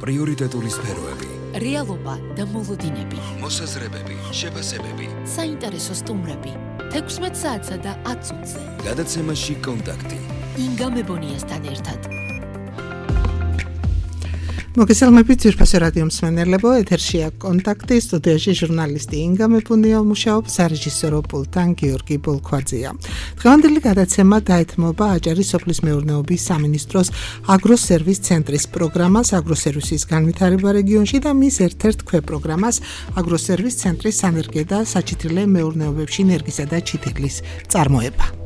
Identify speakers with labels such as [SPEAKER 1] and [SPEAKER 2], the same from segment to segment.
[SPEAKER 1] პრიორიტეტული სფეროები,
[SPEAKER 2] რეალობა და მოლოდინები,
[SPEAKER 1] მოსაზრებები, შეფასებები,
[SPEAKER 2] საინტერესო სტუმრები, 16 საათსა და 10 წუთზე.
[SPEAKER 1] გადაცემაში კონტაქტი.
[SPEAKER 2] ინგა მებონიასთან ერთად.
[SPEAKER 3] მოგესალმებით ძვირფასო რადიო მსმენელებო, ეთერშია კონტაქტი, სტუდიაში ჟურნალისტი ინგა მეფუნია მუშაობს, სარეჟისორო პულტთან გიორგი ბოლქვაძეა. დღევანდელი გადაცემა დაეთმობა აჭარის სოფლის მეურნეობის სამინისტროს აგროსერვის ცენტრის პროგრამას აგროსერვისის განვითარება რეგიონში და მის ერთ-ერთ ქვეპროგრამას აგროსერვის ცენტრის სანერგე და საჩითილე მეურნეობებში ნერგისა და ჩითილის წარმოება.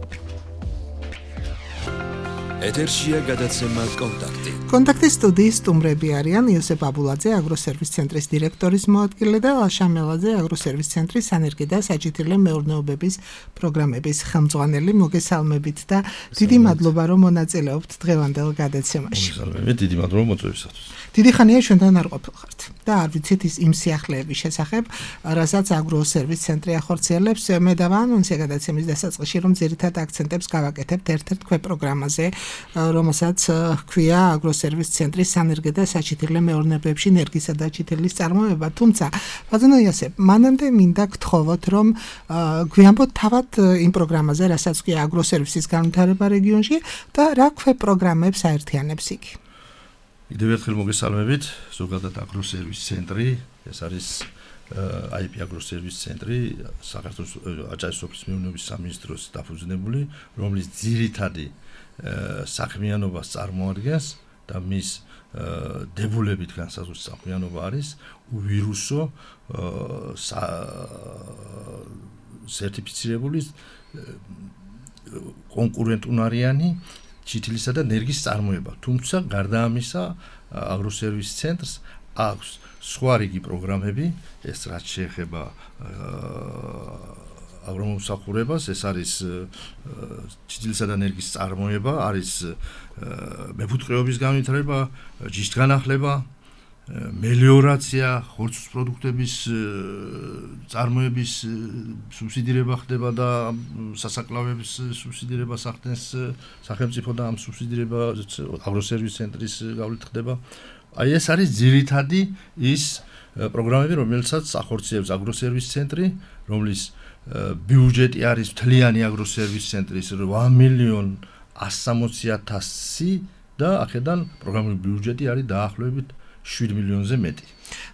[SPEAKER 1] ეთერშია გადაცემა კონტაქტი.
[SPEAKER 3] კონტაქტის სტუდიის სტუმრები არიან იოსებ აბულაძე, აგროსერვის ცენტრის დირექტორის მოადგილე და ლაშა მელაძე, აგროსერვის ცენტრის სანერგე და საჩითილე მეურნეობების პროგრამების ხელმძღვანელი. მოგესალმებით და დიდი მადლობა რომ მონაწილეობთ დღევანდელ გადაცემაში.
[SPEAKER 4] მოგესალმებით, დიდი მადლობა მოწვევისათვის.
[SPEAKER 3] დიდი ხანია ჩვენთან არ ყოფილხართ და არ ვიცით იმ სიახლეების შესახებ, რასაც აგროსერვის ცენტრი ახორციელებს. მე დავაანონსე გადაცემის დასაწყისში, რომ ძირითად აქცენტებს გავაკეთებთ ერთ-ერთ ქვეპროგრამაზე, რომელსაც ჰქვია აგროსერვის ცენტრის სანერგე და საჩითილე მეურნეობებში ნერგისა და ჩითილის წარმოება. თუმცა, ბატონო იოსებ, მანამდე მინდა გთხოვოთ, რომ გვიამბოთ თავად იმ პროგრამაზე, რასაც ჰქვია აგროსერვისის განვითარება რეგიონში და რა ქვეპროგრამებს აერთიანებს იგი.
[SPEAKER 4] კიდევ ერთხელ მოგესალმებით, ზოგადად აგროსერვის ცენტრი, ეს არის IP აგროსერვის ცენტრი, საქართველოს აჭარის სოფლის მეურნეობის სამინისტროს დაფუძნებული, რომლის ძირითადი საქმიანობას წარმოადგენს და მის დებულებით განსაზღვრული საქმიანობა არის უვირუსო სერტიფიცირებული კონკურენტუნარიანი ჩითილისა და ნერგის წარმოება. თუმცა გარდა ამისა, აგროსერვის ცენტრს აქვს სხვა რიგი პროგრამები, ეს რაც შეეხება აგრომომსახურებას, ეს არის ჩითილისა და ნერგის წარმოება, არის მეფუტკრეობის განვითარება, ჯიშთგანახლება, მელიორაცია, ხორცის პროდუქტების წარმოების სუბსიდირება ხდება და სასაკლავების სუბსიდირება სახდენს სახელმწიფო და ამ სუბსიდირება აგროსერვის ცენტრის გავლით ხდება. აი ეს არის ძირითადი ის პროგრამები, რომელსაც ახორციელებს აგროსერვის ცენტრი, რომლის ბიუჯეტი არის მთლიანი აგროსერვის ცენტრის 8,160,000 და აქედან პროგრამული ბიუჯეტი არის დაახლოებით 7 მილიონზე მეტი.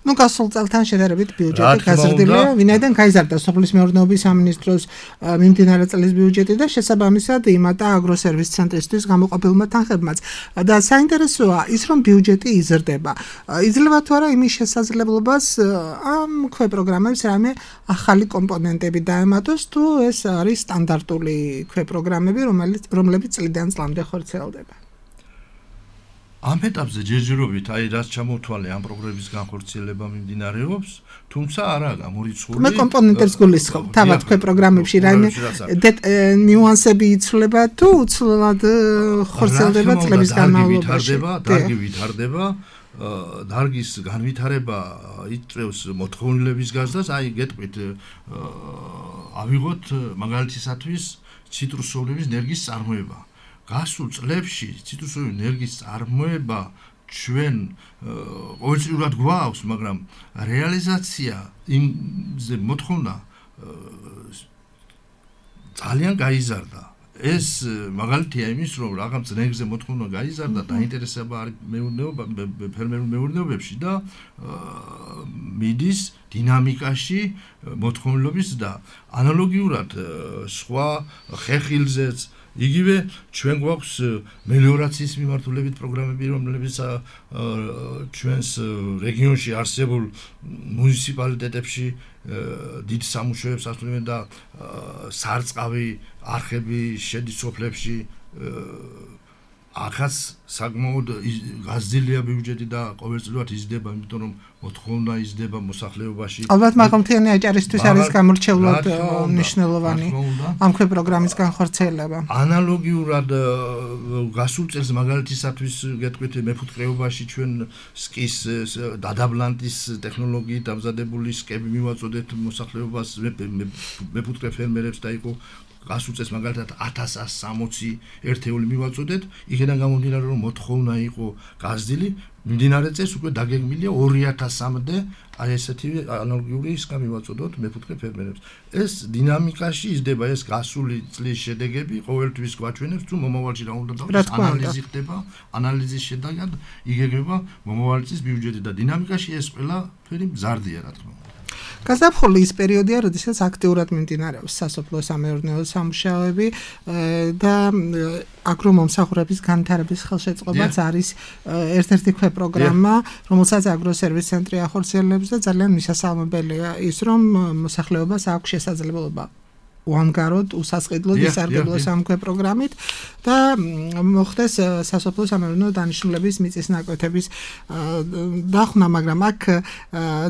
[SPEAKER 3] Ну, გასულ წელთან შედარებით ბიუჯეტი გაზრდილია, ვინაიდან გაიზარდა სოფლის მეურნეობის სამინისტროს მიმდინარე წლის ბიუჯეტი და შესაბამისად იმატა აგროსერვის ცენტრისთვის გამოყოფილმა თანხებმაც. და საინტერესოა ის, რომ ბიუჯეტი იზრდება. იძლევა თუ არა იმის შესაძლებლობას ამ ქვეპროგრამებს რამე ახალი კომპონენტები დაემატოს, თუ ეს არის სტანდარტული ქვეპროგრამები, რომლებიც წლიდან წლამდე ხორციელდება.
[SPEAKER 4] ამ ეტაპზე ჯერჯერობით რაც ჩამოვთვალე ამ პროგრამების განხორციელება მიმდინარეობს, თუმცა არა გამორიცხული.
[SPEAKER 3] მე კომპონენტებს გულისხმობ, თავად ქვეპროგრამებში რაიმე ნიუანსები იცვლება თუ უცვლელად ხორციელდება წლების განმავლობაში.
[SPEAKER 4] დარგი ვითარდება, დარგის განვითარება იწევს მოთხოვნილების გაზრდას, აი გეტყვით ავიღოთ მაგალითისათვის ციტრუსოვლების ნერგის წარმოება. გასულ წლებში ციტრუსოვი ნერგის წარმოება ჩვენ ყოველწლიურად გვაქვს, მაგრამ რეალიზაცია იმზე მოთხოვნა ძალიან გაიზარდა. ეს მაგალითია იმის, რომ რაღაც ნერგზე მოთხოვნა გაიზარდა, დაინტერესება არის ფერმერულ მეურნეობებში და მიდის დინამიკაში მოთხოვნილობის და ანალოგიურად სხვა ხეხილზეც იგივე ჩვენ გვაქვს მელიორაციის მიმართულებით პროგრამები, რომლებიც ჩვენს რეგიონში არსებულ მუნიციპალიტეტებში დიდ სამუშაოებს ასრულებენ და სარწყავი არხები შედის სოფლებში. ახაც საკმაოდ გაზრდილია ბიუჯეტი და ყოველწლიურად იზრდება, იმიტომ რომ მოთხოვნა იზრდება მოსახლეობაში.
[SPEAKER 3] ალბათ მაღალმთიანი აჭარისთვის არის გამორჩეულად მნიშვნელოვანი ამ ქვეპროგრამის განხორციელება.
[SPEAKER 4] ანალოგიურად გასულ წელს მაგალითისათვის გეტყვით მეფუტკრეობაში ჩვენ სკის დადაბლანტის ტექნოლოგიით დამზადებული სკები მივაწოდეთ მოსახლეობას, მეფუტკრე ფერმერებს და იყო გასულ წელს მაგალითად 1160 ერთეული მივაწოდეთ, იქიდან გამომდინარე რომ მოთხოვნა იყო გაზრდილი, მიმდინარე წელს უკვე დაგეგმილია 2000-მდე აი ესეთი ანალოგიური ისკა მივაწოდოთ მეხუთე ფერმერებს. ეს დინამიკაში იზრდება ეს გასული წლის შედეგები, ყოველთვის გვაჩვენებს თუ მომავალში რა უნდა დავდეს, ანალიზი ხდება, ანალიზის შედეგად იგეგმება მომავალი წლის ბიუჯეტი და დინამიკაში ეს ყველაფერი მზარდია რა თქმა უნდა.
[SPEAKER 3] გაზაფხული ის პერიოდია, როდესაც აქტიურად მიმდინარეობს სასოფლო-სამეურნეო სამუშაოები და აგრომომსახურების განვითარების ხელშეწყობაც არის ერთ-ერთი ქვეპროგრამა, რომელსაც აგროსერვის ცენტრი ახორციელებს და ძალიან მისასალმებელია ის, რომ მოსახლეობას აქვს შესაძლებლობა უანგაროდ, უსასყიდლოდ ისარგებლოს ამ ქვეპროგრამით და მოხდეს სასოფლო-სამეურნეო დანიშნულების მიწის ნაკვეთების დახმა, მაგრამ აქ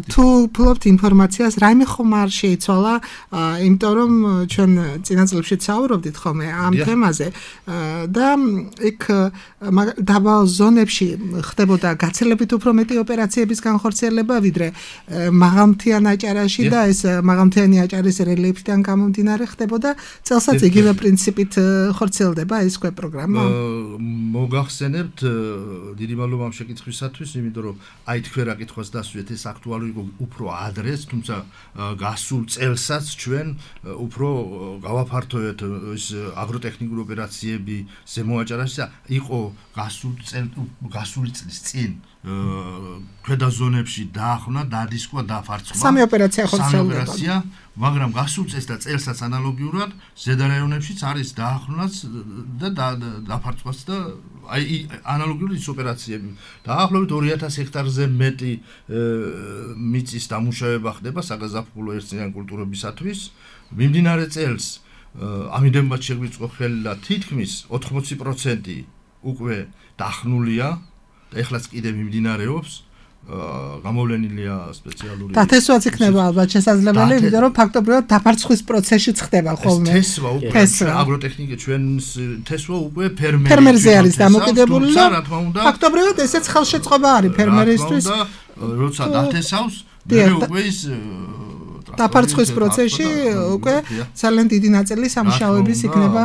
[SPEAKER 3] თუ ფლობთ ინფორმაციას, რაიმე ხომ არ შეიცვალა, იმიტომ რომ ჩვენ წინა წლებშიც საუბრობდით ხოლმე ამ თემაზე და იქ დაბალ ზონებში ხდებოდა გაცილებით უფრო მეტი ოპერაციების განხორციელება, ვიდრე მაღალმთიან აჭარაში და ეს მაღალმთიანი აჭარის რელიეფიდან გამომდინარე ხდებოდა წელსაც იგივე პრინციპით ხორციელდება ეს პროგრამა.
[SPEAKER 4] მოგახსენებთ დიდი მადლობა ამ შეკითხვისათვის, იმიტომ რომ აი თქვენ რა კითხვას დასვით, ეს აქტუალური იყო უფრო ადრეს, თუმცა გასულ წელსაც ჩვენ უფრო გავაფართოვეთ ეს აგროტექნიკური ოპერაციები ზემო აჭარაში და იყო გასული წლის წინ ქვედა ზონებში დაახმნა, დადისკვა, დაფარცხვა.
[SPEAKER 3] სამი ოპერაცია ხორციელდება.
[SPEAKER 4] მაგრამ გასულ წელს და წელსაც ანალოგიურად ზედა რაიონებშიც არის დაახლოებაც და დაფარცხვაც და აი ანალოგიური ის ოპერაციები. დაახლოებით 2000 ჰექტარზე მეტი მიწის დამუშავება ხდება საგაზაფხულო ერთწლიანი კულტურებისათვის. მიმდინარე წელს ამიტომაც შეგვიწყო ხელი და თითქმის 80% უკვე დახნულია და ეხლაც კიდე მიმდინარეობს. გამოვლენილია სპეციალური
[SPEAKER 3] დათესვაც იქნება ალბათ შესაძლებელი, იმიტომ რომ ფაქტობრივად დაფარცხვის პროცესშიც ხდება ხოლმე.
[SPEAKER 4] თესვა უკვე აგროტექნიკა ჩვენს თესვა უკვე
[SPEAKER 3] ფერმერზე არის დამოკიდებული
[SPEAKER 4] და რა თქმა უნდა
[SPEAKER 3] ფაქტობრივად ესეც ხელშეწყობა არის ფერმერისთვის.
[SPEAKER 4] როცა დათესავს, მე უკვე ის
[SPEAKER 3] დაფარცხვის პროცესში უკვე ძალიან დიდი ნაწილი სამუშაოების იქნება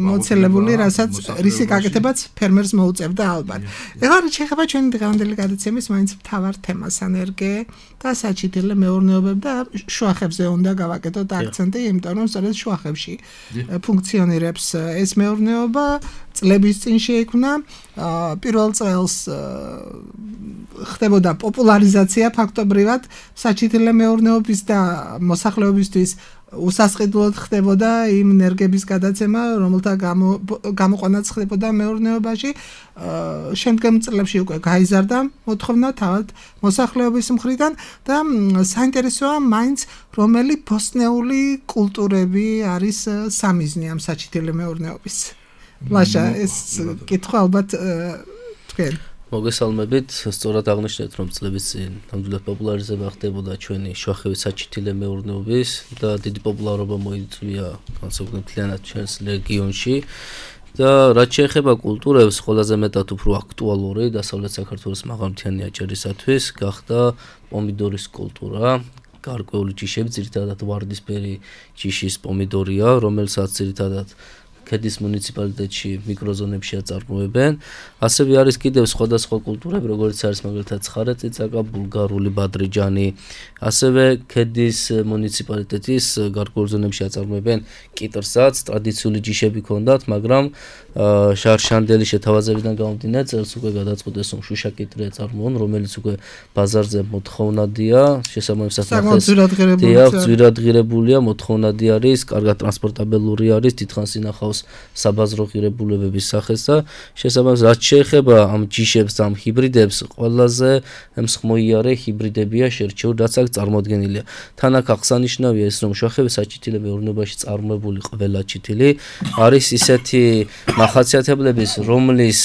[SPEAKER 3] მოცელებული, რასაც რისი გაკეთებაც ფერმერს მოუწევდა ალბათ. ეხლა შეიძლება ჩვენი დღევანდელი გადაცემის მაინც მთავარ თემას ანერგე და საჩითილე მეურნეობები და შუახებზე უნდა გავაკეთოთ აქცენტი, იმიტომ რომ სწორედ შუახებში ფუნქციონირებს ეს მეურნეობა. წლების წინ შეიქმნა, პირველ წელს ხდებოდა პოპულარიზაცია ფაქტობრივად საჩითილე მეურნეობის და მოსახლეობისთვის უსასყიდლოდ ხდებოდა იმ ენერგების გადაცემა, რომელთა გამოყვანაც ხდებოდა მეურნეობაში. შემდგომ წლებში უკვე გაიზარდა მოთხოვნა თავად მოსახლეობის მხრიდან და საინტერესოა მაინც რომელი ბოსტნეული კულტურები არის სამიზნე ამ საჩითილე მეურნეობის. ლაშა ეს კითხვა ალბათ თქვენ
[SPEAKER 5] მოგესალმებით, სწორად აღნიშნეთ, რომ წლების წინ ნამდვილად პოპულარიზება ხდებოდა ჩვენი შუახევის საჩითილე მეურნეობის და დიდი პოპულარობა მოიწვია განსაკუთრებით მთლიანად ჩვენს რეგიონში და რაც შეეხება კულტურებს, ყველაზე მეტად უფრო აქტუალური დასავლეთ საქართველოს მაღალმთიანი აჭარისათვის გახდა პომიდორის კულტურა. გარკვეული ჯიშები, ძირითადად ვარდისფერი ჯიშის პომიდორია, რომელსაც ძირითადად ქედის მუნიციპალიტეტში მიკროზონებში აწარმოებენ. ასევე არის კიდევ სხვადასხვა კულტურები, როგორც არის მაგალითად ცხარეწიწაკა, ბულგარული ბადრიჯანი. ასევე ქედის მუნიციპალიტეტის გარკვეულ ზონებში აწარმოებენ კიტრსაც, ტრადიციული ჯიშები ჰქონდათ, მაგრამ შარშანდელი შეთავაზებიდან გამომდინარე, წელს უკვე გადაწყვეტეს, რომ შუშა კიტრი აწარმოონ, რომელიც უკვე ბაზარზე მოთხოვნადია, შესაბამისად ძვირადღირებულია, მოთხოვნადი არის, კარგად ტრანსპორტაბელური არის, დიდხანს ინახავს საბაზრო ღირებულებების სახეს და შესაბამისად რაც შეეხება ამ ჯიშებს და ამ ჰიბრიდებს, ყველაზე მსხმოიარე ჰიბრიდებია შერჩეული, რაც აქ წარმოდგენილია. თან აქ აღსანიშნავია ის, რომ შუახევის საჩითილე მეურნეობაში წარმოებული ყველა ჩითილი არის ისეთი მახასიათებლების, რომლის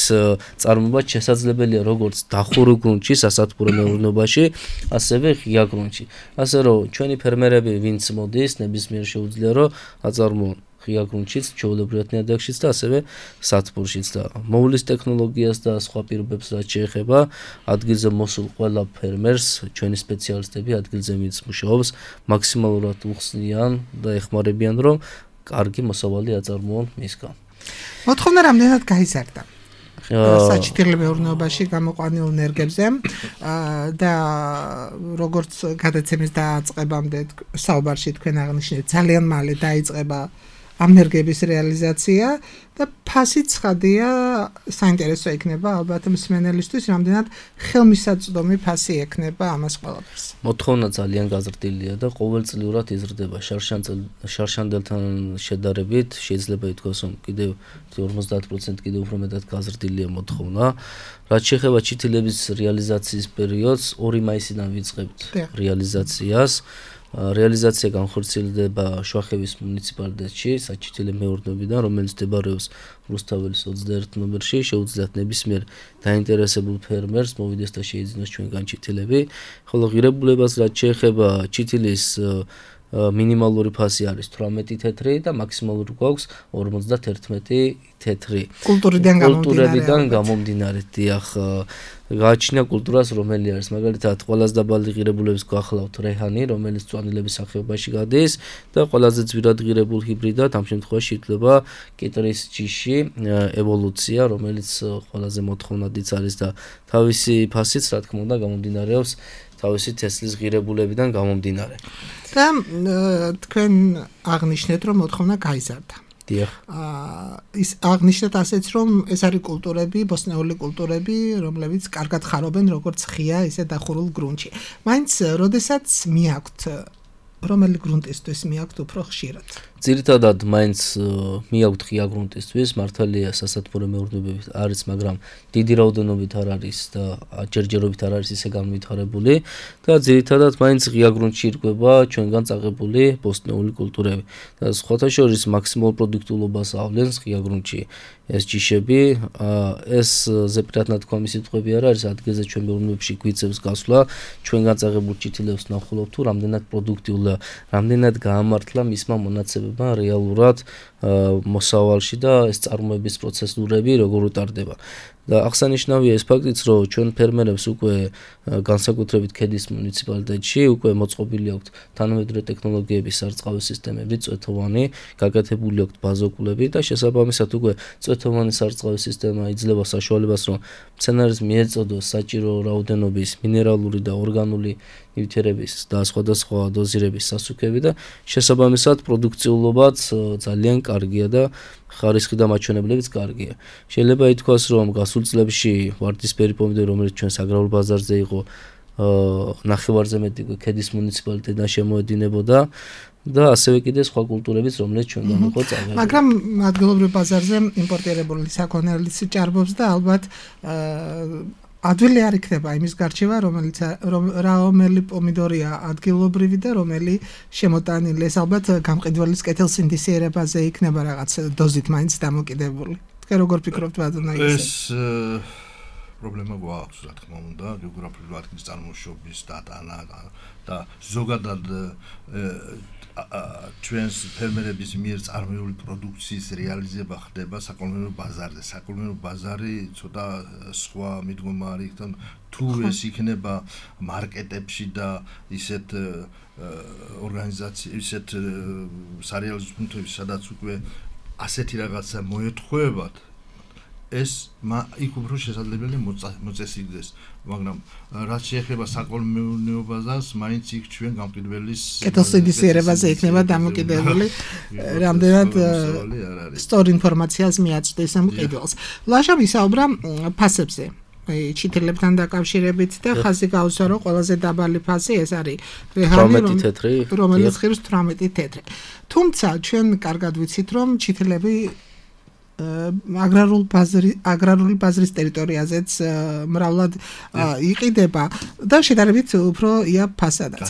[SPEAKER 5] წარმოება შესაძლებელია როგორც დახურულ გრუნტში, სასათბურო მეურნეობაში, ასევე ღია გრუნტში. ასე რომ ჩვენი ფერმერები, ვინც მოდის, ნებისმიერ შეუძლია რომ აწარმოონ ღია გრუნტშიც, ჩვეულებრივად ნიადაგშიც და ასევე სათბურშიც და მოვლის ტექნოლოგიას და სხვა პირობებს რაც შეეხება ადგილზე მოსულ ყველა ფერმერს, ჩვენი სპეციალისტები ადგილზე მის მუშაობს მაქსიმალურად უხსნიან და ეხმარებიან, რომ კარგი მოსავალი აწარმოონ მისგან.
[SPEAKER 3] მოთხოვნა რამდენად გაიზარდა საჩითილ მეურნეობაში გამოყვანილ ენერგებზე და როგორც გადაცემის დაწყებამდე საუბარში თქვენ აღნიშნეთ ძალიან მალე დაიწყება ამ ენერგიების რეალიზაცია და ფასი ცხადია საინტერესო იქნება ალბათ მსმენელისთვის რამდენად ხელმისაწვდომი ფასი ექნება ამას ყველაფერს.
[SPEAKER 5] მოთხოვნა ძალიან გაზრდილია და ყოველწლიურად იზრდება შარშანდელთან შედარებით შეიძლება ითქვას რომ კიდევ 50% კიდევ უფრო მეტად გაზრდილია მოთხოვნა. რაც შეეხება ჩითილების რეალიზაციის პერიოდს 2 მაისიდან ვიწყებთ რეალიზაციას. რეალიზაცია განხორციელდება შუახევის მუნიციპალიტეტში, საჩითილე მეურნეობიდან, რომელიც მდებარეობს რუსთაველის 21 ნომერში, შეუძლიათ ნებისმიერ დაინტერესებულ ფერმერს მოვიდეს და შეიძინოს ჩვენგან ჩითილები. ხოლო ღირებულებას რაც შეეხება ჩითილის მინიმალური ფასი არის 18 თეთრი და მაქსიმალური გვაქვს 51 თეთრი. კულტურებიდან გამომდინარე, დიახ, გააჩნია კულტურას, რომელი არის მაგალითად ყველაზე დაბალი ღირებულების გვახლავთ რეჰანი, რომელიც წვანილების სახეობაში გადის და ყველაზე ძვირად ღირებულ ჰიბრიდად ამ შემთხვევაში ითვლება კიტრის ჯიში ევოლუცია, რომელიც ყველაზე მოთხოვნადიც არის და თავისი ფასიც რა თქმა უნდა გამომდინარეობს თავისი თესლის ღირებულებიდან გამომდინარე.
[SPEAKER 3] და თქვენ აღნიშნეთ რომ მოთხოვნა გაიზარდა.
[SPEAKER 5] დიახ.
[SPEAKER 3] ის აღნიშნეთ ასეც რომ ეს არის კულტურები, ბოსნეული კულტურები, რომლებიც კარგად ხარობენ როგორც ღია, ისე დახურულ გრუნტში. მაინც როდესაც მიაქვთ რომელი გრუნტისთვის მიაქვთ უფრო ხშირად?
[SPEAKER 5] ძირითადად მაინც მიაქვთ ღია გრუნტისთვის, მართალია სასათბურე მეურნეობები არის, მაგრამ დიდი რაოდენობით არ არის და ჯერჯერობით არ არის ისე განვითარებული და ძირითადად მაინც ღია გრუნტში ირკვება ჩვენგან წაღებული ბოსტნეული კულტურები. და სხვათა შორის მაქსიმალურ პროდუქტულობას ავლენს ღია გრუნტში ეს ჯიშები, ეს ზეპირად ნათქვამი სიტყვები არ არის, ადგილზე ჩვენ მეურნეობებში გვიწევს გასვლა, ჩვენგან წაღებულ ჩითილებს ვნახულობთ თუ რამდენად პროდუქტიულია, რამდენად გაამართლა მისმა მონაცემებმა რეალურად მოსავალში და ეს წარმოების პროცესურები როგორ უტარდება. და აღსანიშნავია ეს ფაქტიც, რომ ჩვენ ფერმერებს უკვე განსაკუთრებით ქედის მუნიციპალიტეტში უკვე მოწყობილი აქვთ თანამედროვე ტექნოლოგიების სარწყავი სისტემები, წვეთოვანი, გაკეთებული აქვთ ბაზოკულები და შესაბამისად უკვე წვეთოვანი სარწყავი სისტემა იძლევა საშუალებას, რომ მცენარეს მიეწოდოს საჭირო რაოდენობის მინერალური და ორგანული ნივთიერების და სხვადასხვა დოზირების სასუქები და შესაბამისად პროდუქციულობაც ძალიან კარგია და ხარისხი და მაჩვენებლებიც კარგია. შეიძლება ითქვას, რომ გასულ წლებში ვარდისფერი პომიდორი, რომელიც ჩვენს აგრარულ ბაზარზე იყო, ნახევარზე მეტი ქედის მუნიციპალიტეტიდან შემოედინებოდა და ასევე კიდე სხვა კულტურებიც, რომელიც ჩვენგან იყო წავედი.
[SPEAKER 3] მაგრამ ადგილობრივ ბაზარზე იმპორტირებული საქონელის ჭარბობს და ალბათ ადვილი არ იქნება იმის გარჩევა, რომელი პომიდორია ადგილობრივი და რომელი შემოტანილი. ეს ალბათ გამყიდველის კეთილსინთეზირებაზე იქნება რაღაც დოზით მაინც დამოკიდებული. თქვენ როგორ ფიქრობთ, ბატონო ისე?
[SPEAKER 4] ეს პრობლემა გვაქვს, რა თქმა უნდა, გეოგრაფიული ადგილის წარმოშობის დატანა და ზოგადად ჩვენს ფერმერების მიერ წარმოებული პროდუქციის რეალიზება ხდება საკოლმეურნეო ბაზარზე. საკოლმეურნეო ბაზარი ცოტა სხვა მიდგომა არის, თუ ეს იქნება მარკეტებში და ისეთ ორგანიზაციებში, ისეთ სარეალიზო პუნქტებში, სადაც უკვე ასეთი რაღაცა მოეთხოვებათ, ეს იქ უფრო შესაძლებელია მოწესრიგდეს, მაგრამ რაც შეეხება საკოლმეურნეო ბაზარს, მაინც იქ ჩვენ გამყიდველის
[SPEAKER 3] კეთილსინთეზირებაზე იქნება დამოკიდებული, რამდენად სწორ ინფორმაციას მიაწვდეს ამ ყიდველს. ლაშა ვისაუბრა ფასებზე. ჩითილებთან დაკავშირებით და ხაზი გაუსვა, რომ ყველაზე დაბალი ფასი ეს არის რეჰანი, რომელიც ღირს 18 თეთრი. თუმცა ჩვენ კარგად ვიცით, რომ ჩითილები აგრარული ბაზრის ტერიტორიაზეც მრავლად იყიდება და შედარებით უფრო ია ფასადაც.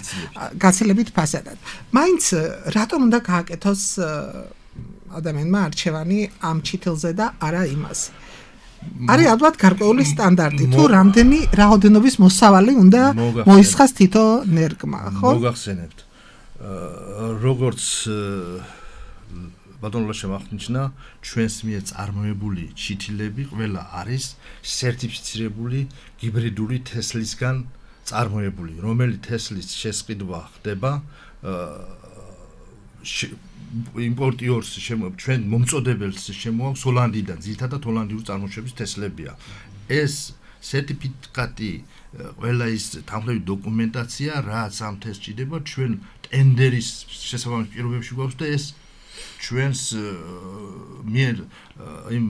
[SPEAKER 3] გაცილებით ფასადად. მაინც რატომ უნდა გააკეთოს ადამიანმა არჩევანი ამ ჩითილზე და არა იმაზე? არის ალბათ გარკვეული სტანდარტი, თუ რამდენი რაოდენობის მოსავალი უნდა მოისხას თითო ნერგმა, ხო?
[SPEAKER 4] მოგახსენებთ. როგორც ბატონო შემახნიშნა, ჩვენს მიერ წარმოებული ჩითილები ყველა არის სერტიფიცირებული ჰიბრიდული თესლისგან წარმოებული, რომელიც თესლის შესყიდვა ხდება იმპორტიორს ჩვენ მომწოდებელს შემოაქვს ჰოლანდიიდან, ძირითადად ჰოლანდიური წარმოშობის თესლებია. ეს სერტიფიკატი ყველა ის თანხმდები დოკუმენტაცია, რაც ამ თესლს ჭირდება, ჩვენ ტენდერის შესაბამის პირობებში გვაქვს და ეს ჩვენს მიერ იმ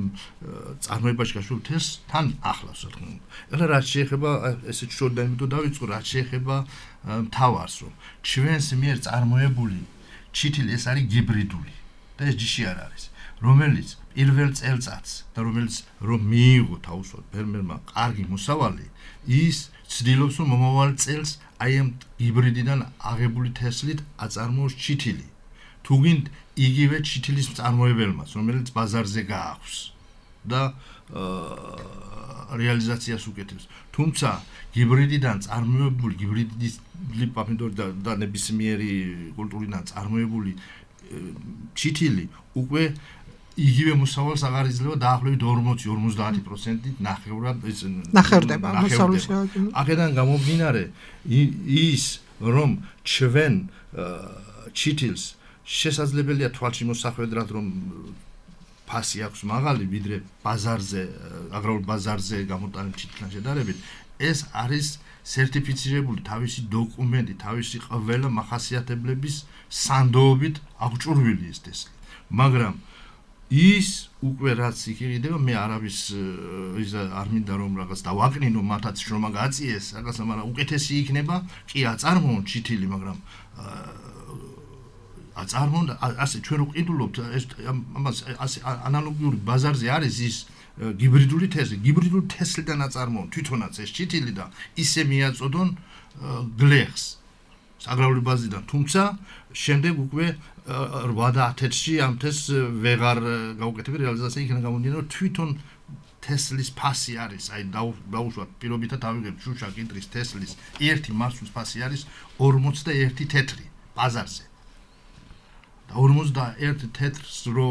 [SPEAKER 4] წარმოებაში გაშლილ თესლს თან ახლავს, რა თქმა უნდა. ეხლა რაც შეეხება ესე შორიდან იმიტომ დავიწყო, რაც შეეხება მთავარს, რომ ჩვენს მიერ წარმოებული ჩითილი ეს არის გიბრიდული და ეს ჯიში არ არის, რომელიც პირველ წელწადს და რომელიც რომ მიიღო თავისუფლად ფერმერმა კარგი მოსავალი, ის ცდილობს რომ მომავალ წელს აი ამ ჰიბრიდიდან აღებული თესლით აწარმოოს ჩითილი. თუ გინდ იგივე ჩითილის მწარმოებელმაც, რომელიც ბაზარზე გააქვს და რეალიზაციას უკეთებს. თუმცა ჰიბრიდიდან წარმოებული ჰიბრიდული პომიდორი და ნებისმიერი კულტურიდან წარმოებული ჩითილი უკვე იგივე მოსავალს აღარ იძლევა დაახლოებით 40-50%-ით ნახევრდება მოსავლის. აქედან გამომდინარე ის რომ ჩვენ ჩითილს შესაძლებელია თვალში მოსახვედრად რომ ფასი აქვს მაღალი ვიდრე ბაზარზე, აგრარულ ბაზარზე გამოტანილ ჩითილთან შედარებით, ეს არის სერტიფიცირებული თავისი დოკუმენტი, თავისი ყველა მახასიათებლების სანდოობით აღჭურვილი ეს თესლი. მაგრამ ის უკვე რაც იქნება, მე არავის ის არ მინდა რომ რაღაც დავაკნინო მათაც შრომა გაწიეს, რაღაცა, მაგრამ უკეთესი იქნება, კი აწარმოონ ჩითილი, მაგრამ აწარმოონ ასე ჩვენ რო ყიდულობთ ამას ასე ანალოგიური ბაზარზე არის ის ჰიბრიდული თესლი, ჰიბრიდული თესლიდან აწარმოონ თვითონაც ეს ჩითილი და ისე მიაწოდონ გლეხს აგრარული ბაზიდან, თუმცა შემდეგ უკვე 8-10-ში ამ თესლს ვეღარ გაუკეთებია რეალიზაცია, იქიდან გამომდინარე რომ თვითონ თესლის ფასი არის, აი დაუშვათ პირობითად ავიღებ შუშა კიტრის თესლის ერთი მარცვლის ფასი არის 41 თეთრი ბაზარზე. 41 თეთრს რო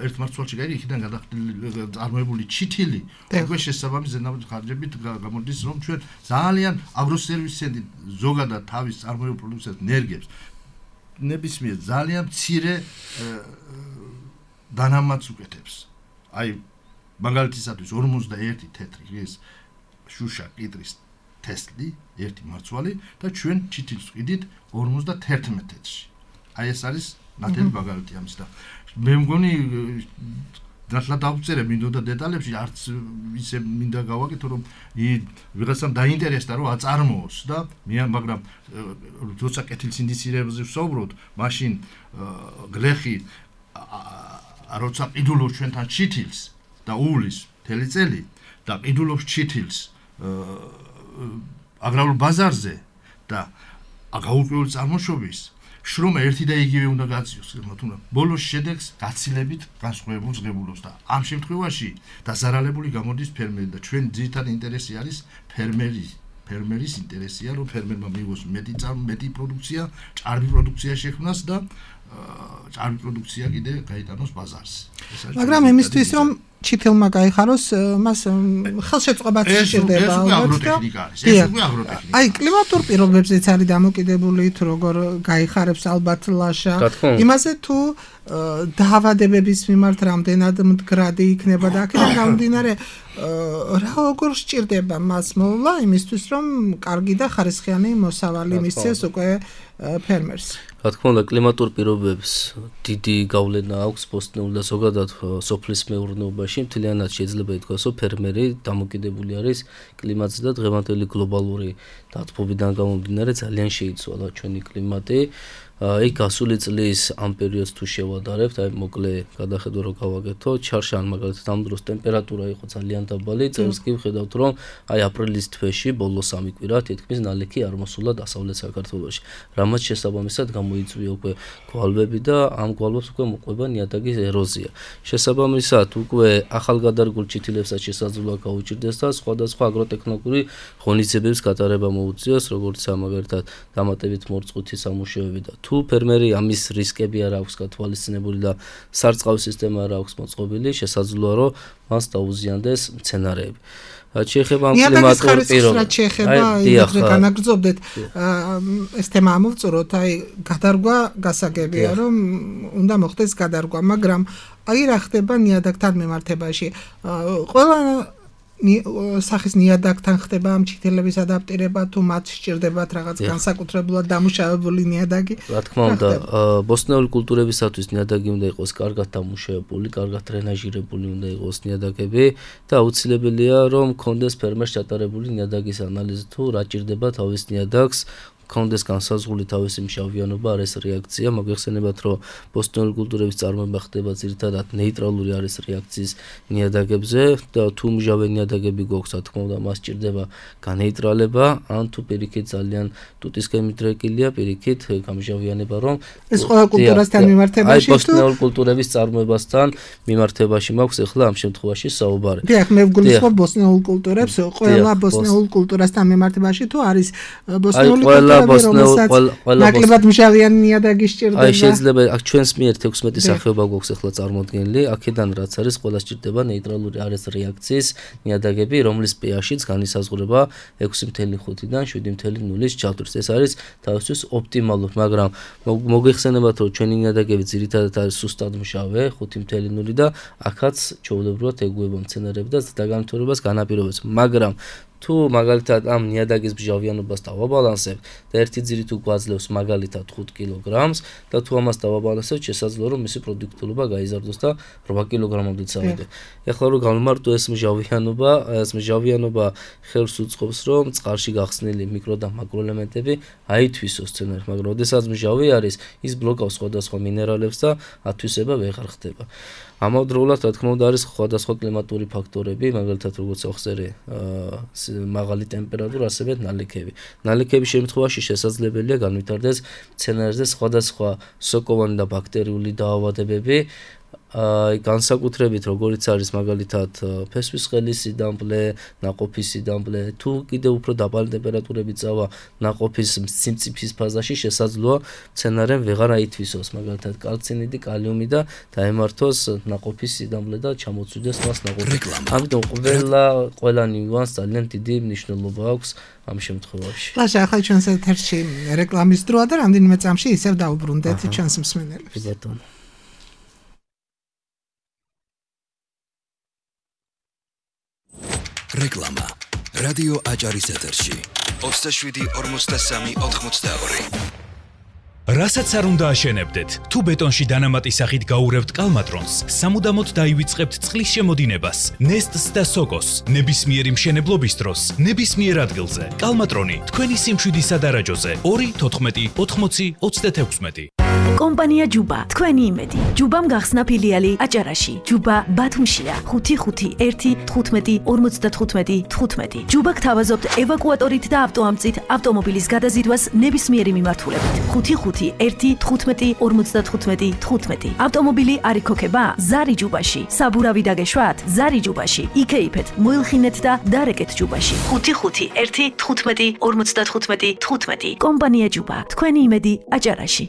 [SPEAKER 4] ერთ მარცვალში გაიგე, იქიდან გადახდილი წარმოებული ჩითილი უკვე შესაბამის ზედამეტ ხარჯებით გამოდის, რომ ჩვენ ძალიან აგროსერვისები ზოგადად თავის წარმოებულ პროდუქციას ნერგებს ნებისმიერ ძალიან მცირე დანამატს უკეთებს. აი მაგალითისათვის 41 თეთრი ეს შუშა კიტრის თესლი, ერთი მარცვალი და ჩვენ ჩითილს ვყიდით 51 თეთრში. აი ეს არის ნათელი მაგალითი ამის და მე მგონი ნათლად დავწერე მინდოდა დეტალებში, არც ისე მინდა გავაკეთო რომ ვიღაცამ დაინტერესდა რომ აწარმოოს და მაგრამ როცა კეთილს ინდიცირებზე ვსაუბრობთ, მაშინ გლეხი როცა ყიდულობს ჩვენთან ჩითილს და უვლის მთელი წელი და ყიდულობს ჩითილს აგრარულ ბაზარზე და გაურკვეველი წარმოშობის შრომა ერთი და იგივე უნდა გაწიოს, თუმცა ბოლოს შედეგს გაცილებით განსხვავებულ ზღებულობს და ამ შემთხვევაში დაზარალებული გამოდის ფერმერი და ჩვენ ძირითადი ინტერესი არის ფერმერის ინტერესია, რომ ფერმერმა მიიღოს მეტი პროდუქცია, ჭარბი პროდუქცია შექმნას და ჭარბი პროდუქცია კიდე გაიტანოს ბაზარზე.
[SPEAKER 3] მაგრამ იმისთვის რომ ჩითილმა გაიხაროს, მას ხელშეწყობაც სჭირდება.
[SPEAKER 4] ეს უკვე აგროტექნიკა არის. ეს უკვე აგროტექნიკა.
[SPEAKER 3] აი კლიმატურ პირობებზეც არის დამოკიდებული, თუ როგორ გაიხარებს ალბათ ლაშა. იმაზე თუ დაავადებების მიმართ რამდენად მდგრადი იქნება და აქედან გამომდინარე რა როგორ სჭირდება მას მოვლა იმისთვის რომ კარგი და ხარისხიანი მოსავალი მისცეს უკვე ფერმერს.
[SPEAKER 5] რა თქმა უნდა, კლიმატურ პირობებს დიდი გავლენა აქვს ბოსტნეულ და ზოგადად სოფლის მეურნეობაში. მთლიანად შეიძლება ითქვას, რომ ფერმერი დამოკიდებული არის კლიმატზე და დღევანდელი გლობალური დათბობიდან გამომდინარე ძალიან შეიცვალა ჩვენი კლიმატი. აი გასული წლის ამ პერიოდს თუ შევადარებთ, აი მოკლე გადახედვა რო გავაკეთო, ჩარშან მაგალითად ამ დროს ტემპერატურა იყო ძალიან დაბალი, წელს კი ვხედავთ რომ აი აპრილის თვეში ბოლო 3 კვირა თითქმის ნალექი არ მოსულა დასავლეთ საქართველოში. რამაც შესაბამისად გამოიწვია უკვე გვალვები და ამ გვალვებს უკვე მოყვება ნიადაგის ეროზია. შესაბამისად უკვე ახალგადარგულ ჩითილებსაც შესაძლოა გაუჭირდეს და სხვადასხვა აგროტექნიკური ღონისძიებების გატარება მოუწიოს, როგორც მაგალითად დამატებით მორწყვითი სამუშაოები და თუ ფერმერი ამის რისკები არ აქვს გათვალისწინებული და სარწყავი სისტემა არ აქვს მოწყობილი, შესაძლოა რომ მას დაუზიანდეს მცენარეები. რაც შეეხება
[SPEAKER 3] ნიადაგის
[SPEAKER 5] კლიმატურ პირობებს.
[SPEAKER 3] რაც შეეხება იმედრე განაგრძობდეთ ეს თემა ამოვწუროთ, აი გადარგვა გასაგებია, რომ უნდა მოხდეს გადარგვა, მაგრამ აი რა ხდება ნიადაგთან მიმართებაში? ყველა სახის ნიადაგთან ხდება ამ ჩითილების ადაპტირება თუ მათ სჭირდებათ რაღაც განსაკუთრებულად დამუშავებული ნიადაგი?
[SPEAKER 5] რა თქმა უნდა, ბოსტნეული კულტურებისათვის ნიადაგი უნდა იყოს კარგად დამუშავებული, კარგად დრენაჟირებული უნდა იყოს ნიადაგები და აუცილებელია რომ კონდეს ფერმერს ჩატარებული ნიადაგის ანალიზი თუ რა ჭირდება თავის ნიადაგს კონდეს განსაზღვრული თავისი მჟავიანობა არის რეაქცია, მოგეხსენებათ რომ ბოსტნეული კულტურების წარმოება ხდება ძირითადად ნეიტრალური არის რეაქციის ნიადაგებზე და თუ მჟავე ნიადაგები გვაქვს, რა თქმა უნდა, მას ჭირდება განეიტრალება, ან თუ პირიქით ძალიან ტუტისკემით რეკილია, პირიქით გამჟავიანება, რომ
[SPEAKER 3] ეს ყველა კულტურასთან მიმართებაში
[SPEAKER 5] თუ ბოსტნეული კულტურების წარმოებასთან მიმართებაში მაქვს ახლა ამ შემთხვევაში საუბარი.
[SPEAKER 3] დიახ, მე ვგულისხმობ ბოსტნეულ კულტურებს, ყველა ბოსტნეულ კულტურასთან მიმართებაში თუ არის ბოსტნეული ნაკლებად მჟავიანი ნიადაგი სჭირდება.
[SPEAKER 5] აი შეიძლება აქ ჩვენს მიერ 16 სახეობა გვაქვს ახლა წარმოდგენილი, აქედან რაც არის ყველა სჭირდება ნეიტრალური არის რეაქციის ნიადაგები, რომლის pH-იც განისაზღვრება 6.5-დან 7.0-ის ჩათვლით. ეს არის თავისთვის ოპტიმალური, მაგრამ მოგეხსენებათ რომ ჩვენი ნიადაგები ძირითადად არის სუსტად მჟავე 5.0 და აქაც ჩვეულებრივად ეგუება მცენარეები და ზრდაგამთავრებას განაპირობებს, მაგრამ თუ მაგალითად ამ ნიადაგის მჟავიანობას დავაბალანსებთ და ერთი ძირი თუ გვაძლევს მაგალითად 5 კილოგრამს და თუ ამას დავაბალანსებთ, შესაძლოა რომ მისი პროდუქტიულობა გაიზარდოს და 8 კილოგრამამდე წავიდე. ეხლა რომ გავმარტო ეს მჟავიანობა ხელს უწყობს რომ წყალში გახსნილი მიკრო და მაკროელემენტები აითვისოს სცენარით, მაგრამ ოდესაც მჟავი არის, ის ბლოკავს სხვადასხვა მინერალებს და ათვისება ვეღარ ხდება. ამავდროულად, რა თქმა უნდა, არის სხვადასხვა კლიმატური ფაქტორები, მაგალითად, როგორც ახსენე, მაღალი ტემპერატურა, ასევე ნალექები. ნალექების შემთხვევაში შესაძლებელია განვითარდეს მცენარეზე სხვადასხვა სოკოვანი და ბაქტერიული დაავადებები, განსაკუთრებით როგორიც არის მაგალითად ფესვის ხელის სიდამპლე, ნაყოფის სიდამპლე, თუ კიდევ უფრო დაბალი ტემპერატურები წავა ნაყოფის სიმწიფის ფაზაში, შესაძლოა მცენარემ ვეღარ აითვისოს მაგალითად კალცინიდი, კალიუმი და დაემართოს ნაყოფის სიდამპლე და ჩამოწვიდეს მას ნაყოფი. ამიტომ ყველა ნიუანს ძალიან დიდი მნიშვნელობა აქვს ამ შემთხვევაში.
[SPEAKER 3] ლაშა, ახლა ჩვენს ეთერში რეკლამის დროა და რამდენიმე წამში ისევ დაუბრუნდეთ ჩვენს მსმენელებს.
[SPEAKER 5] ბატონო.
[SPEAKER 1] რეკლამა რადიო აჭარის ეთერში 27-43-82.
[SPEAKER 6] რასაც არ უნდა აშენებდეთ, თუ ბეტონში დანამატი სახით გაურევთ კალმატრონს, სამუდამოდ დაივიწყებთ წყლის შემოდინებას, ნესტს და სოკოს, ნებისმიერი მშენებლობის დროს, ნებისმიერ ადგილზე. კალმატრონი თქვენი სიმშვიდის სადარაჯოზე 2-14-80-36.
[SPEAKER 7] კომპანია ჯუბა, თქვენი იმედი. ჯუბამ გახსნა ფილიალი აჭარაში. ჯუბა ბათუმშია. 551-15-55-15. ჯუბა გთავაზობთ ევაკუატორით და ავტოამწით ავტომობილის გადაზიდვას ნებისმიერი მიმართულებით. 551-15-55-15. ავტომობილი არ იქოქება? ზარი ჯუბაში. საბურავი დაგეშვათ? ზარი ჯუბაში. იქეიფეთ, მოილხინეთ და დარეკეთ ჯუბაში. 551-15-55-15. კომპანია ჯუბა, თქვენი იმედი აჭარაში.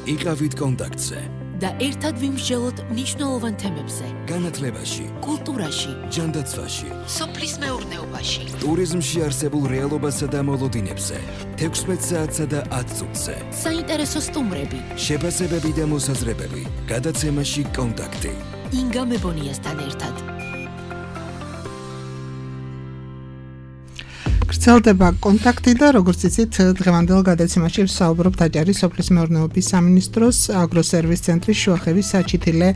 [SPEAKER 1] იყავით კონტაქტზე
[SPEAKER 2] და ერთად ვიმსჯელოთ მნიშვნელოვან თემებზე.
[SPEAKER 1] განათლებაში,
[SPEAKER 2] კულტურაში,
[SPEAKER 1] ჯანდაცვაში,
[SPEAKER 2] სოფლის მეურნეობაში,
[SPEAKER 1] ტურიზმში არსებულ რეალობასა და მოლოდინებზე, 16 საათსა და 10 წუთზე.
[SPEAKER 2] საინტერესო სტუმრები,
[SPEAKER 1] შეფასებები და მოსაზრებები. გადაცემაში კონტაქტი.
[SPEAKER 2] ინგა მებონიასთან ერთად.
[SPEAKER 3] გრძელდება კონტაქტი და როგორც იცით, დღევანდელ გადაცემაში ვსაუბრობთ აჭარის სოფლის მეურნეობის სამინისტროს აგროსერვის ცენტრის შუახევის საჩითილე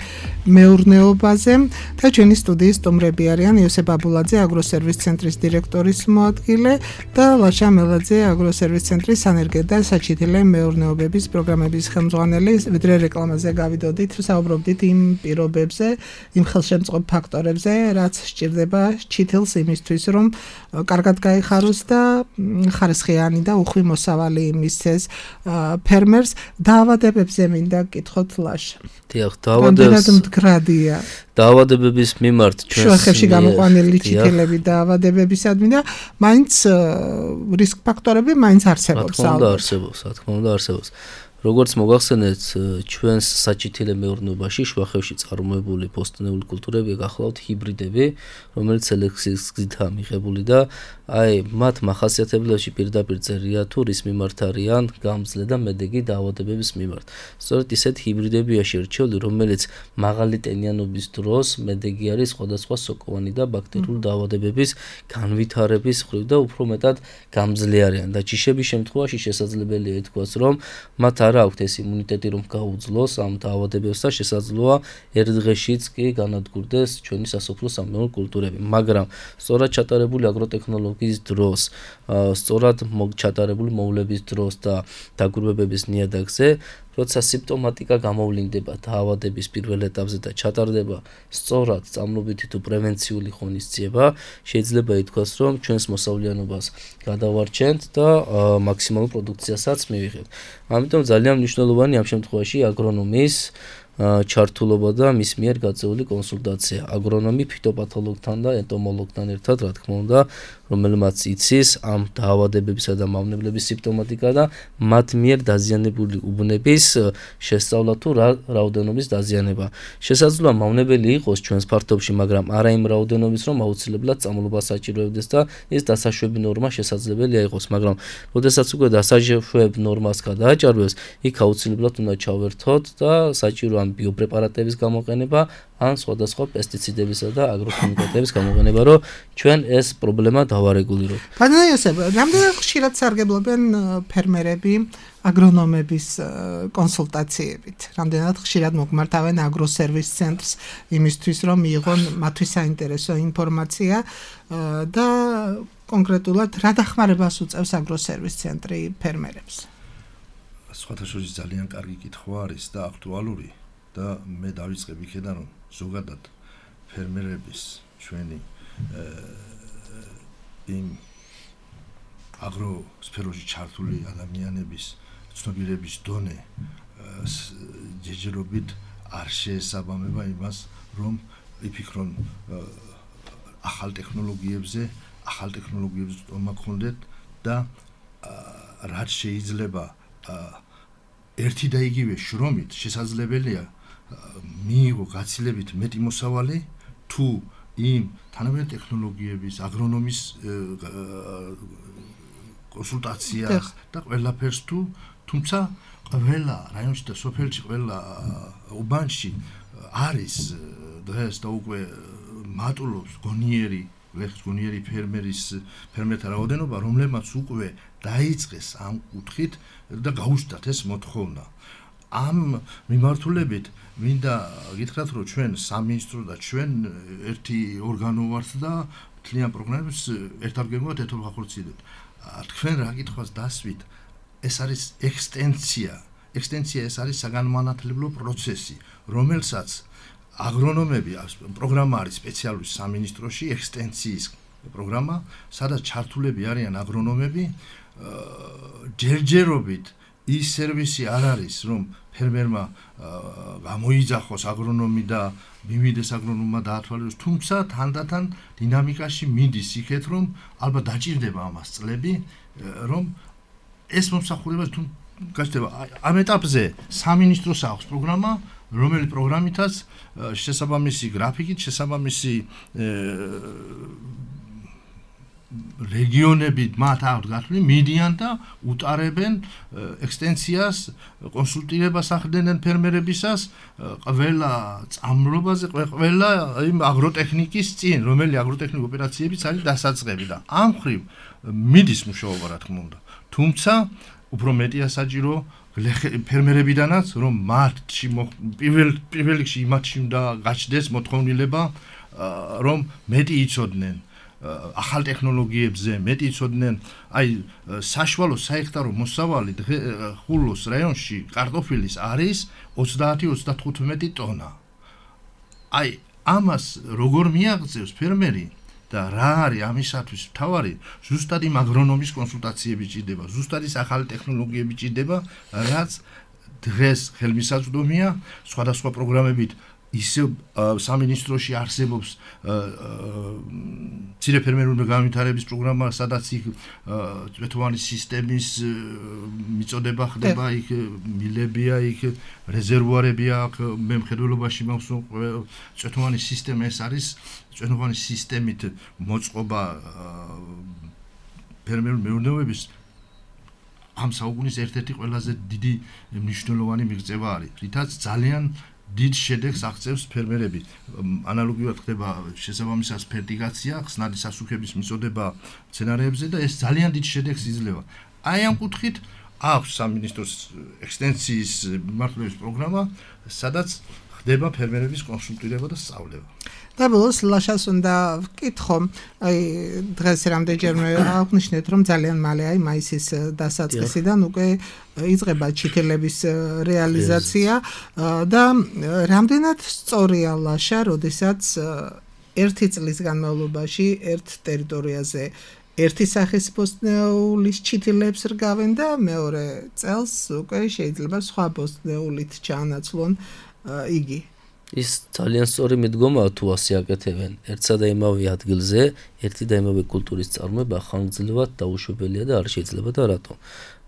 [SPEAKER 3] მეურნეობაზე და ჩვენი სტუდიის სტუმრები არიან იოსებ აბულაძე, აგროსერვის ცენტრის დირექტორის მოადგილე და ლაშა მელაძე, აგროსერვის ცენტრის სანერგე და საჩითილე მეურნეობების პროგრამების ხელმძღვანელი. ვიდრე რეკლამაზე გავიდოდით, ვსაუბრობდით იმ პირობებზე, იმ ხელშემწყობ ფაქტორებზე, რაც სჭირდება ჩითილს იმისთვის, რომ კარგად გაიხაროს და ხარისხიანი და უხვი მოსავალი მისცეს ფერმერს. დაავადებებზე მინდა გკითხოთ ლაშა.
[SPEAKER 5] დიახ,
[SPEAKER 3] დაავადებების
[SPEAKER 5] მიმართ ჩვენს
[SPEAKER 3] შუახევში გამოყვანილი ჩითილები დაავადებებისადმი და მაინც რისკ ფაქტორები მაინც არსებობს.
[SPEAKER 5] რა თქმა უნდა არსებობს. როგორც მოგახსენეთ, ჩვენს საჭითილე მეურნეობაში შუახევში წარმოებული პოსტნეული კულტურები გახლავთ ჰიბრიდები, რომელიც სელექციის გზითაა მიღებული და მათ მახასიათებლებში პირდაპირ წერია თუ რის მიმართ არიან გამძლე და მედეგი დაავადებების მიმართ. სწორედ ისეთ ჰიბრიდებია შერჩეული, რომელიც მაღალი ტენიანობის დროს მედეგი არის სხვადასხვა სოკოვანი და ბაქტერიული დაავადებების განვითარების მხრივ და უფრო მეტად გამძლე არიან და ჯიშების შემთხვევაში შესაძლებელია ითქვას, რომ მათ არ აქვთ ეს იმუნიტეტი, რომ გაუძლოს ამ დაავადებებს და შესაძლოა ერთ დღეშიც კი განადგურდეს ჩვენი სასოფლო სამეურნეო კულტურები. მაგრამ სწორად ჩატარებული აგროტექნოლოგიის დროს, სწორად ჩატარებული მოვლების დროს და დაკვირვებების ნიადაგზე, როცა სიმპტომატიკა გამოვლინდება დაავადების პირველ ეტაპზე და ჩატარდება სწორად სწამლობითი თუ პრევენციული ღონისძიება, შეიძლება ითქვას, რომ ჩვენს მოსავლიანობას გადავარჩენთ და მაქსიმალურ პროდუქციასაც მივიღებთ. ამიტომ ძალიან მნიშვნელოვანი ამ შემთხვევაში აგრონომის ჩართულობა და მის მიერ გაწეული კონსულტაცია. აგრონომი ფიტოპათოლოგთან და ენტომოლოგთან ერთად, რა თქმა უნდა, რომელმაც იცის ამ დაავადებებისა და მავნებლების სიმპტომატიკა და მათ მიერ დაზიანებული უბნების შესწავლა თუ რა რაოდენობის დაზიანება. შესაძლოა მავნებელი იყოს ჩვენს ფართობში, მაგრამ არა იმ რაოდენობის, რომ აუცილებლად წამლობა საჭიროებდეს და ეს დასაშვები ნორმა შესაძლებელია იყოს, მაგრამ როდესაც უკვე დასაშვებ ნორმას გადააჭარბებს, იქ აუცილებლად უნდა ჩავერთოთ და საჭირო ამ ბიოპრეპარატების გამოყენება, ან სხვადასხვა პესტიციდებისა და აგროქიმიკატების გამოყენება, რომ ჩვენ ეს პრობლემა დავარეგულიროთ.
[SPEAKER 3] ბატონო იოსებ, რამდენად ხშირად სარგებლობენ ფერმერები აგრონომების კონსულტაციებით? რამდენად ხშირად მოგმართავენ აგროსერვის ცენტრს იმისთვის, რომ მიიღონ მათთვის საინტერესო ინფორმაცია და კონკრეტულად რა დახმარებას უწევს აგროსერვის ცენტრი ფერმერებს?
[SPEAKER 4] სხვათა შორის ძალიან კარგი კითხვა არის და აქტუალური და მე დავიწყებ იქედან, რომ ზოგადად ფერმერების ჩვენი იმ აგროსფეროში ჩართული ადამიანების ცნობიერების დონე ჯერჯერობით არ შეესაბამება იმას, რომ იფიქრონ ახალ ტექნოლოგიებზე თომა გქონდეთ და რაც შეიძლება ერთი და იგივე შრომით შესაძლებელია მიიღო გაცილებით მეტი მოსავალი თუ იმ თანამედროვე ტექნოლოგიების აგრონომის კონსულტაციას და ყველაფერს თუმცა ყველა რაიონში და სოფელში ყველა უბანში არის დღეს და უკვე მატულობს გონიერი ფერმერთა რაოდენობა, რომლებმაც უკვე დაიწყეს ამ კუთხით და გაუჩნდათ ეს მოთხოვნა. ამ მიმართულებით მინდა გითხრათ, რომ ჩვენ სამინისტრო და ჩვენ ერთი ორგანო ვართ და მთლიან პროგრამებს ერთად ეთოლხახორციელებთ. თქვენ რა კითხვას დასვით, ეს არის ექსტენსია ეს არის საგანმანათლებლო პროცესი, რომელსაც აგრონომები პროგრამა არის სპეციალური სამინისტროში, ექსტენსიის პროგრამა, სადაც ჩართულები არიან აგრონომები, ჯერჯერობით ის სერვისი არ არის, რომ ფერმერმა გამოიძახოს აგრონომი და მივიდეს აგრონომმა დაათვალიეროს, თუმცა თანდათან დინამიკაში მიდის იქეთ, რომ ალბათ დაჭირდება ამას წლები, რომ ეს მომსახურება თუ გაჩნდება. ამ ეტაპზე სამინისტროს აქვს პროგრამა, რომელი პროგრამითაც შესაბამისი გრაფიკით, შესაბამისი რეგიონები მათ აქვთ გათვლილი, მიდიან და უტარებენ ექსტენსიას, კონსულტირებას ახდენენ ფერმერებისას ყველა წამლობაზე, ყველა იმ აგროტექნიკის წინ, რომელი აგროტექნიკ ოპერაციებიც არის დასაწყები და ამ მხრივ მიდის მუშაობა, რა თქმა უნდა. თუმცა უფრო მეტია საჭირო ფერმერებიდანაც, რომ მათში პირველ რიგში იმათში უნდა გაჩნდეს მოთხოვნილება, რომ მეტი იცოდნენ ახალ ტექნოლოგიებზე, მეტი იცოდნენ, საშუალო საჰექტარო მოსავალი ხულოს რაიონში კარტოფილის არის 30-35 ტონა. ამას როგორ მიაღწევს ფერმერი და რა არის ამისათვის მთავარი, ზუსტად იმ აგრონომის კონსულტაციები ჭირდება, ზუსტად ის ახალი ტექნოლოგიები ჭირდება, რაც დღეს ხელმისაწვდომია სხვადასხვა პროგრამებით ისე სამინისტროში არსებობს მცირე ფერმერული განვითარების პროგრამა, სადაც იქ წვეთოვანი სისტემის მიწოდება ხდება, იქ მილებია, იქ რეზერვუარებია, აქ მემხედველობაში მაქვს წვეთოვანი სისტემა, ეს არის წვეთოვანი სისტემით მოწყობა ფერმერული მეურნეობების ამ საუკუნის ერთ-ერთი ყველაზე დიდი მნიშვნელოვანი მიღწევა არის, რითაც ძალიან დიდ შედეგს აღწევს ფერმერები. ანალოგიურად ხდება შესაბამისად ფერტიგაცია, ხსნადი სასუქების მიწოდება მცენარეებზე და ეს ძალიან დიდ შედეგს იძლევა. აი ამ კუთხით აქვს სამინისტროს ექსტენსიის მიმართულების პროგრამა, სადაც ხდება ფერმერების კონსულტირება და სწავლება.
[SPEAKER 3] და ბოლოს ლაშას უნდა ვკითხო, აი დღეს რამდენჯერმე აღნიშნეთ, რომ ძალიან მალე აი მაისის დასაწყისიდან უკვე იწყება ჩითილების რეალიზაცია და რამდენად სწორია ლაშა, როდესაც ერთი წლის განმავლობაში ერთ ტერიტორიაზე ერთი სახის ბოსტნეულის ჩითილებს რგავენ და მეორე წელს უკვე შეიძლება სხვა ბოსტნეულით ჩაანაცვლონ იგი.
[SPEAKER 5] ის ძალიან სწორი მიდგომაა თუ ასე აკეთებენ. ერთსა და იმავე ადგილზე ერთი და იმავე კულტურის წარმოება ხანგრძლივად დაუშვებელია და არ შეიძლება და რატომ?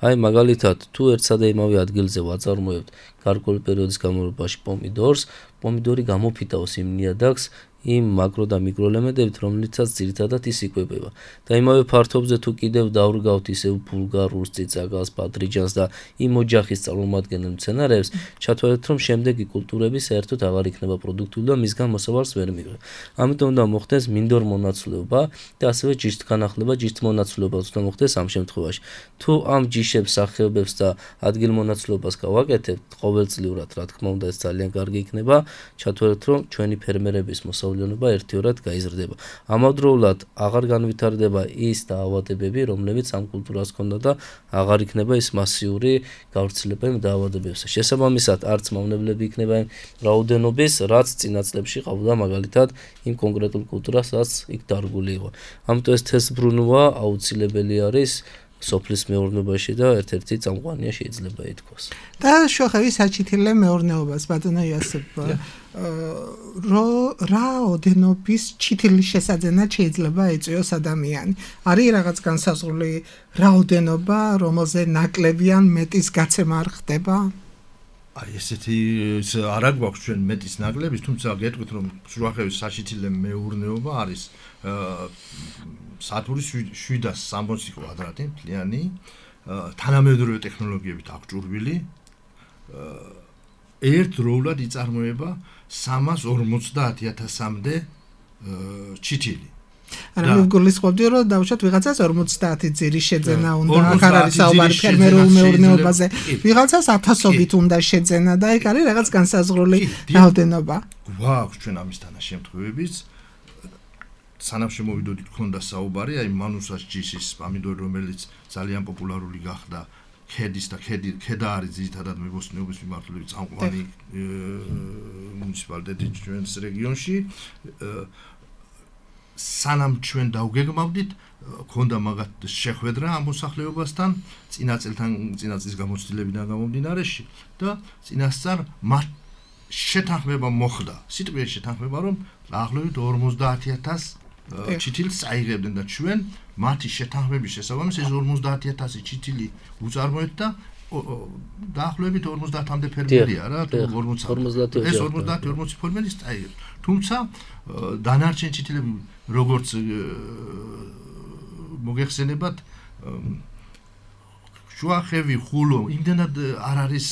[SPEAKER 5] აი მაგალითად, თუ ერთსა და იმავე ადგილზე ვაწარმოებთ გარკვეული პერიოდის განმავლობაში პომიდორს, პომიდორი გამოფიტავს იმ ნიადაგს იმ მაკრო და მიკრო ელემენტებით, რომლითაც ძირითადად ის იკვებება. და იმავე ფართობზე თუ კიდევ დავრგავთ ისევ ბულგარულს, წიწაკას, ბადრიჯანს და იმ ოჯახის წარმომადგენელ მცენარეებს, ჩათვალეთ, რომ შემდეგი კულტურები საერთოდ აღარ იქნება პროდუქტიული და მისგან მოსავალს ვერ მიიღება. ამიტომ უნდა მოხდეს მინდორ მონაცვლეობა და ასევე ჯიშთ განახლება, ჯიშთ მონაცვლეობა უნდა მოხდეს ამ შემთხვევაში. თუ ამ ჯიშებს, სახეობებს და ადგილ მონაცვლეობას გავაკეთებთ ყოველწლიურად, რა თქმა უნდა, ეს ძალიან კარგი იქნება. ჩათვალეთ, რომ ჩვენი ფერმერების მოსავლიანობა ერთიორად გაიზრდება. ამავდროულად აღარ განვითარდება ის დაავადებები, რომლებიც ამ კულტურას ჰქონდა და აღარ იქნება ის მასიური გავრცელება იმ დაავადებებზე. შესაბამისად, არც მავნებლები იქნება იმ რაოდენობის, რაც წინა წლებში ყავდა მაგალითად იმ კონკრეტულ კულტურას, რაც იქ დარგული იყო. ამიტომ ეს თესბრუნვა აუცილებელი არის სოფლის მეურნეობაში და ერთ-ერთი წამყვანია შეიძლება ითქვას.
[SPEAKER 3] და შოხები საჩითილე მეურნეობას ბატონო იოსებ რაოდენობის ჩითილის შესაძენად შეიძლება ეწვიოს ადამიანი. არის რაღაც განსაზღვრული რაოდენობა, რომელზე ნაკლები ან მეტის გაცემა არ ხდება?
[SPEAKER 4] აი ესეთი არა გვაქვს ჩვენ მეტის ნაკლების, თუმცა გეტყვით რომ შუახევის საჩითილე მეურნეობა არის სათურის 760 კვადრატი მთლიანი, თანამედროვე ტექნოლოგიებით აღჭურვილი, ერთდროულად იწარმოება 350,000-მდე ჩითილი.
[SPEAKER 3] არა მე გულისხმობდი რომ დავუშვათ ვიღაცას 50 ძირის შეძენა უნდა, აქ არ არის საუბარი ფერმერულ მეურნეობაზე, ვიღაცას 1000-ობით უნდა შეძენა და ეგ არის რაღაც განსაზღვრული რაოდენობა.
[SPEAKER 4] გვაქვს ჩვენ ამის თანაშემთხვევებიც. სანამ შემოვიდოდით ქონდა საუბარი, აი მანუსას ჯიშის პომიდორი, რომელიც ძალიან პოპულარული გახდა ქედის და ქედა არის ძირითადად მებოსტნეობის მიმართულებით წამყვანი მუნიციპალიტეტი ჩვენს რეგიონში. სანამ ჩვენ დავგეგმავდით, ქონდა მაგათ შეხვედრა ამ მოსახლეობასთან, წინა წლის გამოცდილებიდან გამომდინარეში და წინასწარ მათ შეთანხმება მოხდა. სიტყვიერ შეთანხმება, რომ დაახლოებით 50,000 ჩითილს წაიღებდნენ და ჩვენ მათი შეთანხმების შესაბამისად ეს 50,000 ჩითილი უწარმოეთ და დაახლოებით 50-მდე ფერმერია რა, თუ 40 ეს 50-40 ფერმერის წაიღებს. თუმცა დანარჩენ ჩითილები როგორც მოგეხსენებათ შუახევი, ხულო, იმდენად არ არის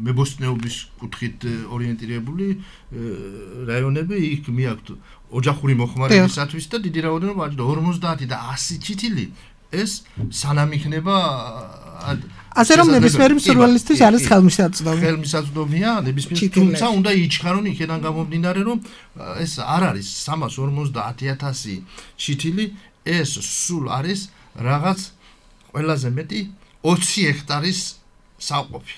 [SPEAKER 4] მებოსტნეობის კუთხით ორიენტირებული რაიონები, იქ მიაქვთ ოჯახური მოხმარებისათვის და დიდი რაოდენობა 50 და 100 ჩითილი ეს სანამ იქნება
[SPEAKER 3] ასე რომ ნებისმიერი მსურველისთვის არის ხელმისაწვდომი.
[SPEAKER 4] ხელმისაწვდომია ნებისმიერ, თუმცა უნდა იჩქარონ იქიდან გამომდინარე, რომ ეს არ არის 350,000 ჩითილი, ეს სულ არის რაღაც ყველაზე მეტი 20 ჰექტარის საყოფი.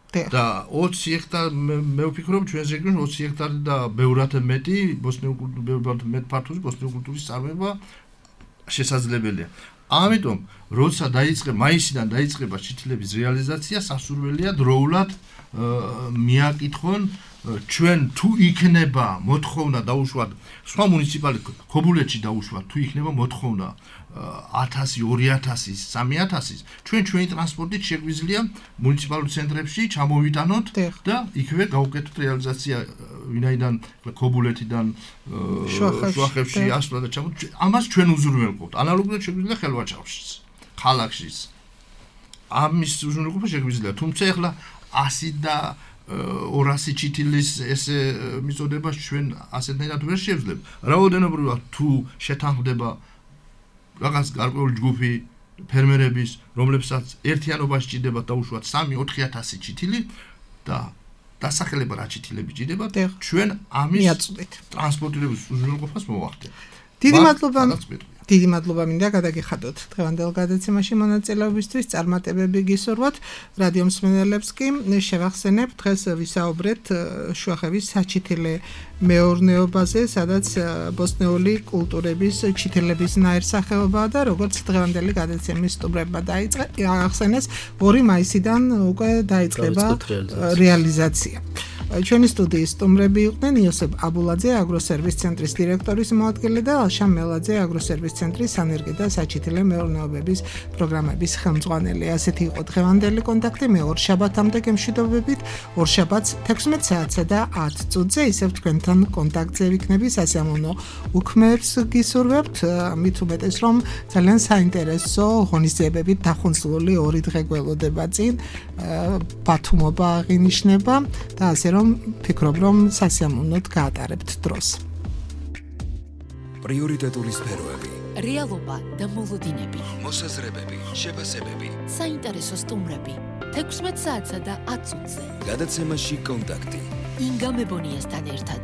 [SPEAKER 4] და 20 ჰექტარი მე ვფიქრობ ჩვენს რეგიონში 20 ჰექტარი და ბევრად მეტი ბოსტნეულ კულტურის წარმოება შესაძლებელია. ამიტომ როცა მაისიდან დაიწყება ჩითილების რეალიზაცია, სასურველია დროულად მიაკითხონ ჩვენ თუ იქნება მოთხოვნა დაუშვათ სხვა მუნიციპალიტეტ ქობულეთში დაუშვათ თუ იქნება მოთხოვნა 1000, 2000, 3000, ჩვენი ტრანსპორტით შეგვიძლია მუნიციპალურ ცენტრებში ჩამოვიტანოთ და იქვე გავუკეთოთ რეალიზაცია ვინაიდან ქობულეთიდან შუახევში ასვლა და ჩამოვიტანოთ. ამას ჩვენ უზრუნველყოფთ. ანალოგიურად შეგვიძლია ხელვაჭრაშიც, ქალაქშიც. ამის უზრუნველყოფა შეგვიძლია, თუმცა ახლა 100 და 200 ჩითილის ესე მიწოდებას ჩვენ ასეთნაირად ვერ შევძლებ. რაოდენობრივად თუ შეთანხმდება რაღაც გარკვეული ჯგუფი ფერმერების, რომლებსაც ერთიანობაში ჭირდება დაუშვათ 3-4000 ჩითილი და დასახელება რა ჩითილები ჭირდება, ჩვენ ამის ტრანსპორტირების უზრუნველყოფას მოვახდენთ.
[SPEAKER 3] დიდი მადლობა მინდა გადაგიხადოთ დღევანდელ გადაცემაში მონაწილეობისთვის. წარმატებები გისურვოთ რადიო მსმენელებს კი შევახსენებ დღეს ვისაუბრეთ შუახევის საჩითილე მეურნეობაზე, სადაც ბოსნეული კულტურების ჩითილების ნაირსახეობაა და როგორც დღევანდელი გადაცემის სტუმრებმა აღხსენეს 2 მაისიდან უკვე დაიწყება რეალიზაცია. ჩვენი სტუდიის სტუმრები იყვნენ იოსებ აბულაძე, აგროსერვის ცენტრის დირექტორის მოადგილე და ალშან მელაძე, აგროსერვის ცენტრის სანერგი და საჩითილე მეურნეობების პროგრამების ხელმძღვანელი. ასეთი იყო დღევანდელი კონტაქტი. მე ორშაბათამდე გემშვიდობებით. ორშაბათს 16 საათსა და 10 წუთზე ისევ თქვენთან კონტაქტზე ვიქნები. სასიამოვნო უქმეებს გისურვებთ. მით უმეტეს რომ ძალიან საინტერესო ღონისძიებებით დახუნცლული 2 დღე გველოდება წინ. ბათუმობა აღინიშნება და ასე რომ ფიქრობ რომ სასიამოვნოდ გაატარებთ დროს.
[SPEAKER 1] პრიორიტეტული სფეროები,
[SPEAKER 2] რეალობა და მოლოდინები,
[SPEAKER 1] მოსაზრებები, შეფასებები,
[SPEAKER 2] საინტერესო სტუმრები 16 საათსა და 10 წუთზე.
[SPEAKER 1] გადაცემაში კონტაქტი.
[SPEAKER 2] ინგა მებონიასთან ერთად.